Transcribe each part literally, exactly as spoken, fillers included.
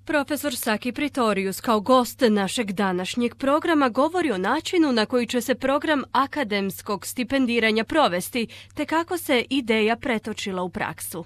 Profesor Saki Pretorius kao gost našeg današnjeg programa govori o načinu na koji će se program akademskog stipendiranja provesti, te kako se ideja pretočila u praksu.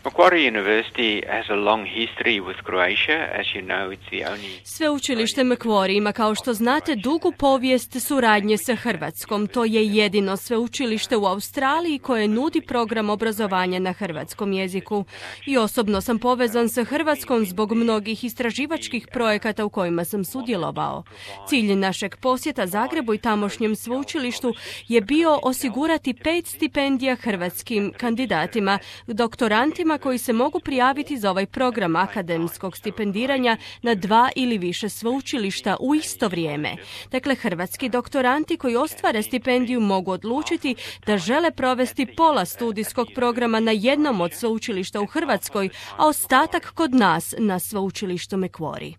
Macquarie University has a long history with Croatia. As you know, it's the only... Sveučilište Macquarie ima, kao što znate, dugu povijest suradnje sa Hrvatskom. To je jedino sveučilište u Australiji koje nudi program obrazovanja na hrvatskom jeziku. I osobno sam povezan sa Hrvatskom zbog mnogih istraživačkih projekata u kojima sam sudjelovao. Cilj našeg posjeta Zagrebu i tamošnjem sveučilištu je bio osigurati pet stipendija hrvatskim kandidatima, doktorantima koji se mogu prijaviti za ovaj program akademskog stipendiranja na dva ili više sveučilišta u isto vrijeme. Dakle, hrvatski doktoranti koji ostvare stipendiju mogu odlučiti da žele provesti pola studijskog programa na jednom od sveučilišta u Hrvatskoj, a ostatak kod nas na sveučilištu Macquarie.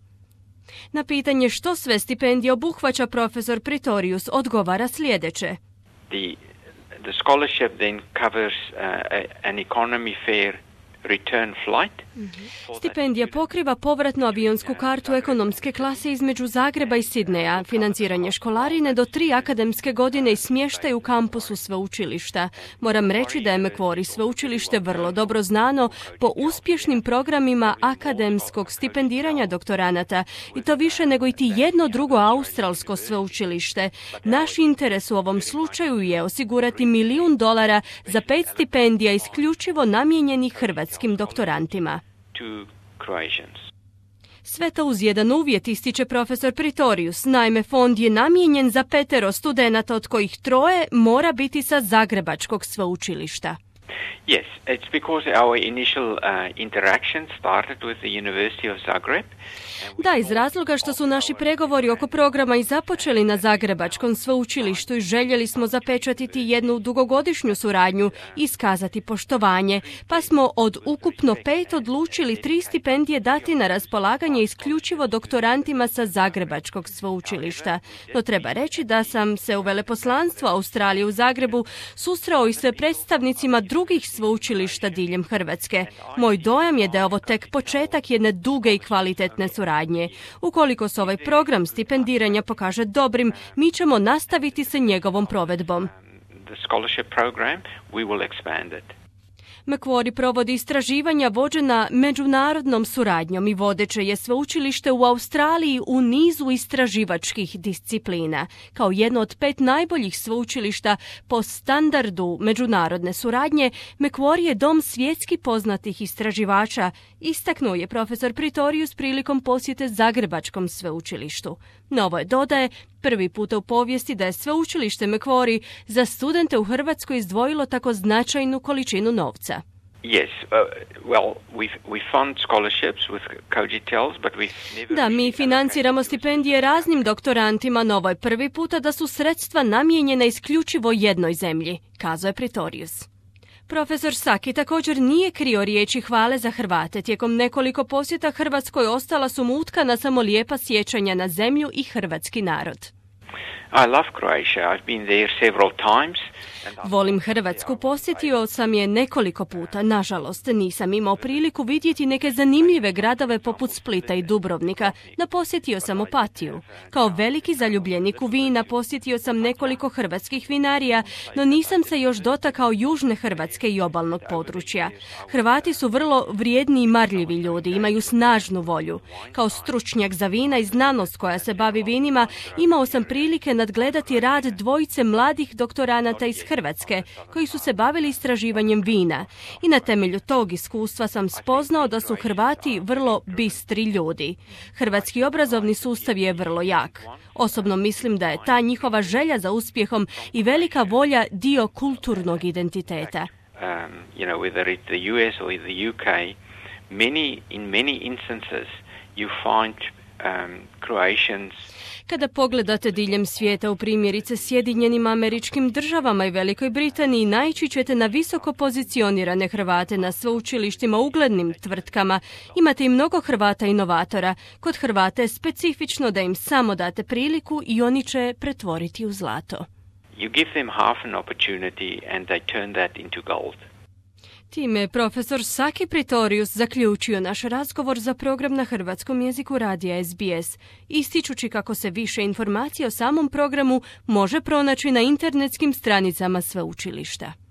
Na pitanje što sve stipendija obuhvaća, profesor Pretorius odgovara sljedeće. The, the scholarship then covers uh, an economy fare return flight. Stipendija pokriva povratnu avionsku kartu ekonomske klase između Zagreba i Sidneja, financiranje školarine do tri akademske godine i smještaj u kampusu sveučilišta. Moram reći da je Macquarie sveučilište vrlo dobro znano po uspješnim programima akademskog stipendiranja doktoranata, i to više nego i ti jedno drugo australsko sveučilište. Naš interes u ovom slučaju je osigurati milijun dolara za pet stipendija isključivo namijenjenih hrvatskim doktorantima. Sve to uz jedan uvjet, ističe profesor Pretorius. Naime, fond je namijenjen za petero studenata, od kojih troje mora biti sa Zagrebačkog sveučilišta. Yes, it's because our initial uh, interaction started with the University of Zagreb. Da, iz razloga što su naši pregovori oko programa i započeli na Zagrebačkom sveučilištu i željeli smo zapečatiti jednu dugogodišnju suradnju i iskazati poštovanje, pa smo od ukupno pet odlučili tri stipendije dati na raspolaganje isključivo doktorantima sa Zagrebačkog sveučilišta. No treba reći da sam se u veleposlanstvu Australije u Zagrebu susreo i sa predstavnicima drugih sveučilišta diljem Hrvatske. Moj dojam je da je ovo tek početak jedne duge i kvalitetne suradnje. Ukoliko se ovaj program stipendiranja pokaže dobrim, mi ćemo nastaviti sa njegovom provedbom. The scholarship program, we will expand it. Macquarie provodi istraživanja vođena međunarodnom suradnjom i vodeće je sveučilište u Australiji u nizu istraživačkih disciplina. Kao jedno od pet najboljih sveučilišta po standardu međunarodne suradnje, Macquarie je dom svjetski poznatih istraživača, istaknuo je profesor Pretorius prilikom posjete Zagrebačkom sveučilištu. Novo je, dodaje, prvi puta u povijesti da je sveučilište Macquarie za studente u Hrvatskoj izdvojilo tako značajnu količinu novca. Yes, uh, well, we we fund scholarships with cogitels, but we never... Da, mi financiramo stipendije raznim doktorantima, no ovo je prvi puta da su sredstva namijenjena isključivo jednoj zemlji, kazao je Pretorius. Profesor Saki također nije krio riječi hvale za Hrvate. Tijekom nekoliko posjeta Hrvatskoj ostala su mu utkana samo lijepa sjećanja na zemlju i hrvatski narod. I love Croatia. I've been there several times. Volim Hrvatsku, posjetio sam je nekoliko puta. Nažalost, nisam imao priliku vidjeti neke zanimljive gradove poput Splita i Dubrovnika, no posjetio sam Opatiju. Kao veliki zaljubljenik u vina posjetio sam nekoliko hrvatskih vinarija, no nisam se još dotakao južne Hrvatske i obalnog područja. Hrvati su vrlo vrijedni i marljivi ljudi, imaju snažnu volju. Kao stručnjak za vina i znanost koja se bavi vinima, imao sam prilike nadgledati rad dvojice mladih doktoranata iz Hrvatske, koji su se bavili istraživanjem vina. I na temelju tog iskustva sam spoznao da su Hrvati vrlo bistri ljudi. Hrvatski obrazovni sustav je vrlo jak. Osobno mislim da je ta njihova želja za uspjehom i velika volja dio kulturnog identiteta. Um, you know, whether it's the U S or the U K, many in many instances you find um, Croatians. Kada pogledate diljem svijeta, u primjerice Sjedinjenim Američkim Državama i Velikoj Britaniji, naići ćete na visoko pozicionirane Hrvate na sveučilištima, uglednim tvrtkama. Imate i mnogo Hrvata inovatora. Kod Hrvata je specifično da im samo date priliku i oni će pretvoriti u zlato. You give them half an opportunity and they turn that into gold. Time je profesor Saki Pretorius zaključio naš razgovor za program na hrvatskom jeziku radija S B S, ističući kako se više informacija o samom programu može pronaći na internetskim stranicama sveučilišta.